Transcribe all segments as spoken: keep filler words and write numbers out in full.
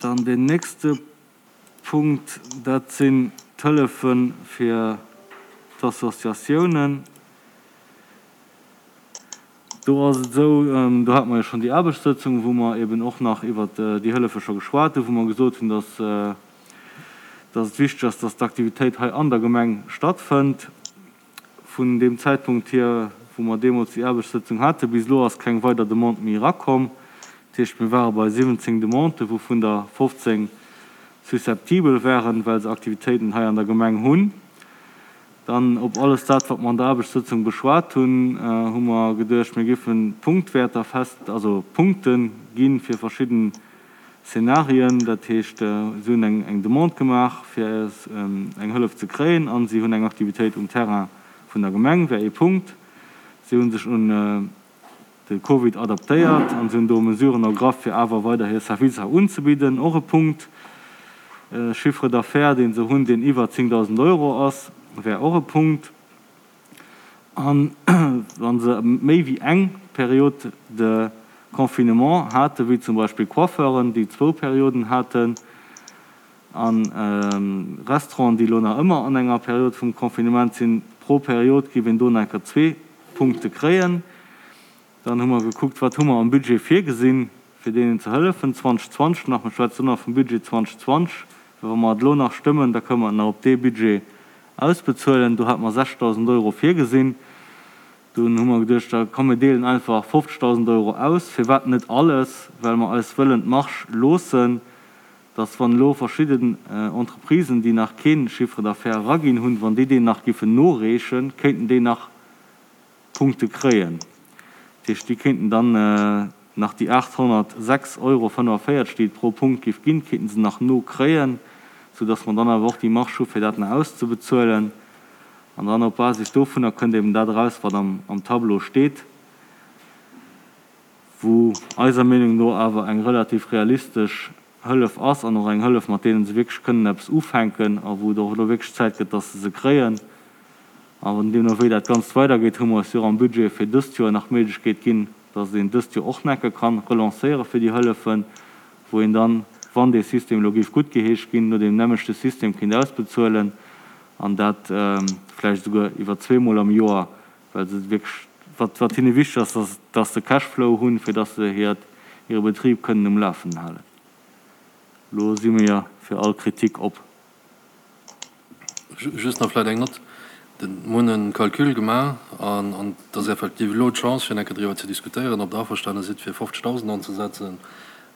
Dann deen nächste Punkt, dat sinn d'Hëllefe fir d'Associatiounen. Do ass et esou, do hate mer jo schonn déi Aarbechtssëtzung, wou mer eben och nach iwwert déi Hëllefe scho geschwat hunn, wou mer gesot hunn, dass, dass et wichteg ass, dass d'Aktivitéit hei an der Gemeng stattfënnt. Vun deem Zäitpunkt hier, wou mer deemools déi Aarbechtssëtzung haten, bis elo ass keng weider Demande méi erakomm. Dat heescht, mir ware bei siwwenzéng Demanden, wouvun der fofzéng susceptibel waren, well se Aktivitéiten hei an der Gemeng hunn. Dann op alles dat, wat mer an der Aarbechtssëtzung beschwat hunn, hu mer geduecht, mir géife Punktwäerter fest, also Punkte gi fir verschidden Szenarien. Dat heescht, si hunn eng eng Demande gemaach, fir eng Hëllef ze kréien, a si hunn eng Aktivitéit um Terrain vun der Gemeng, wär ee Punkt. Si hu sech un de Covid adaptéiert an si hunn do Mesuren ergraff, fir awer weider hir Servicer unzebidden, och e Punkt. Chiffre d'affaires, dee se hunn, deen iwwer zéngdausend Euro ass, wär och e Punkt. An wa se méi wéi eng Période de confinement haten, wéi zum Beispill Coiffeuren, déi zwou Perioden haten, a Restauranten, déi elo nach ëmmer an enger Period vum Confinement sinn, pro Period géif een do nach eng Kéier zwee Punkte kréien. Dann hu mer gekuckt, wat hu mer am Budget virgesinn, fir deenen ze hëllefen zweedausendzwanzeg nach. Mer schwätzen elo nach vum Budget zweedausendzwanzeg, well wa mer et elo nach stëmmen, da kënnen mer et nach op dee Budget ausbezuelen. Do hate mer sechstausend Euro virgesinn. Dunn hu mer geduecht, da komm mir deelen einfach fofzegdausend Euro aus. Firwat net alles? Well mer eis wëllen d'Marge loossen, dass wann elo verschidden Entreprisen, déi nach kee Chiffre d'affaires eraginn hunn, wann déi deen nach giffen noreechen, kéinten déi nach Punkte kréien. Dat heescht, déi kéinten dann nach déi aathonnertsechs Euro fënnefavéierzeg, déi et pro Punkt giff ginn, kéinten se nach nokréien, soudass mer dann awer och déi Marge hu fir dat nach auszebezuelen. An dann op Basis dovunner kënnt eben dat eraus, wat am am Tableau steet, wou eiser Meenung no awer eng relativ realistesch Hëllef ass an och eng Hëllef, mat deenen se wierklech kënnen eppes ufänken a wou et och elo wierklech Zäit gëtt, dass se se kréien. An deemno wéi dat Ganzt weidergeet, hu mer eis jo och am Budget fir dëst Joer nach d'Méiglechkeet ginn, dass een dëst Joer och nach eng Kéier ka relancéiere fir déi Hëllefen, wou een dann, wann dee System elo géif guttgeheescht ginn, no deem nämmlechte System kéint ausbezuelen an dat vläicht esouguer iwwer zweemol am Joer, well se wierklech, wat wat hinne wichteg ass, dass dass se Cashflow hunn, fir dass se hiert hire Betrib kënnen um Lafen halen. Elo si mir fir all Kritik op. Just nach vläicht eng Nott, Mir hunn e Calcul gemaach an et ass effektiv elo d'Chance, fir eng Kéier driwwer ze diskutéieren, ob Der averstane sidd, fir fofzegdausend anzesetzen,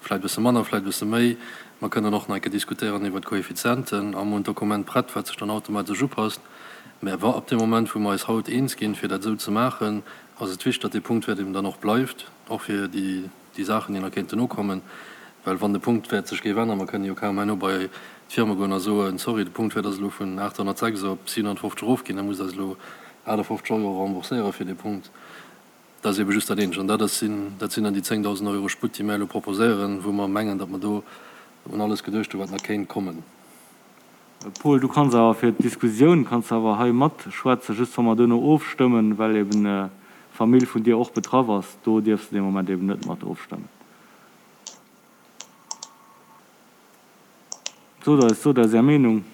vläicht e bësse manner, vläicht e bësse méi. Mer kënnen och nach eng Kéier diskutéieren iwwert d'Koeffizienten a mer hunn d'Dokument prett, wat sech dann automatesch upasst. Mä wa ab deem Moment, wou mer eis haut eens ginn, fir dat esou ze maachen, ass et wichteg, datt dee Punktwäert eben dann och bleift, och fir déi Saachen, déi nach kéinten nokommen. Well wann de Punktwäert sech géif änneren, mer kënnen jo kaum herno bei d'Firme goen a soen, sorry, de Punktwäert ass elo vun aathonnertsechs op siwenhonnertfofzeg erofginn, da musst Der eis elo achtafofzeg Euro rembourséiere fir dee Punkt. Dat ass eebe just dat eenzegt. An dat ass sinn, dat sinn dann déi zéngdausend Euro Sputt, déi mär elo proposéieren, wou mer mengen, datt mer do un alles geduecht hunn, wat nach kéint kommen. Paul, du kanns awer fir d'Diskussioun kanns de awer hei matschwätzen, just wa mer duerno ofstëmmen, well eben d'Famill vun dir och betraff ass, do dierfs de dee Moment eben net mat ofstëmmen. Sot eis, sot eis Är Meenung.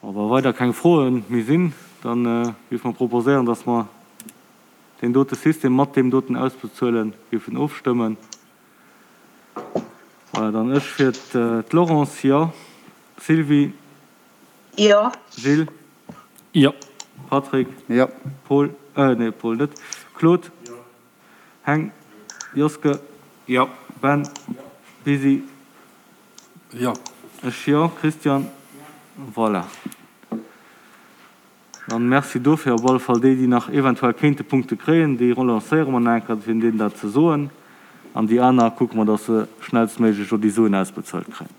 A wa weider keng Froe méi sinn, da géife mer proposéieren, dass mer deen dote System mat deem doten Ausbezuele géifen ofstëmmen. Voilà, dann ech fir d'Laurence, jo. Sylvie? Jo. Gilles? Jo. Patrick? Jo. Paul? Nee, Paul net. Claude? Jo. Heng? Joske? Jo. Ben? Bisi? Jo. Ech jo. Christian? Voilà. Dann merci dofir. Op alle Fall déi, déi nach eventuell kéinte Punkte kréien, déi relancéiere mer nach eng Kéier, fir deenen dat ze soen. An déi aner kucke mer, dass se schnellstméiglech do déi Suen ausbezuelt kréien.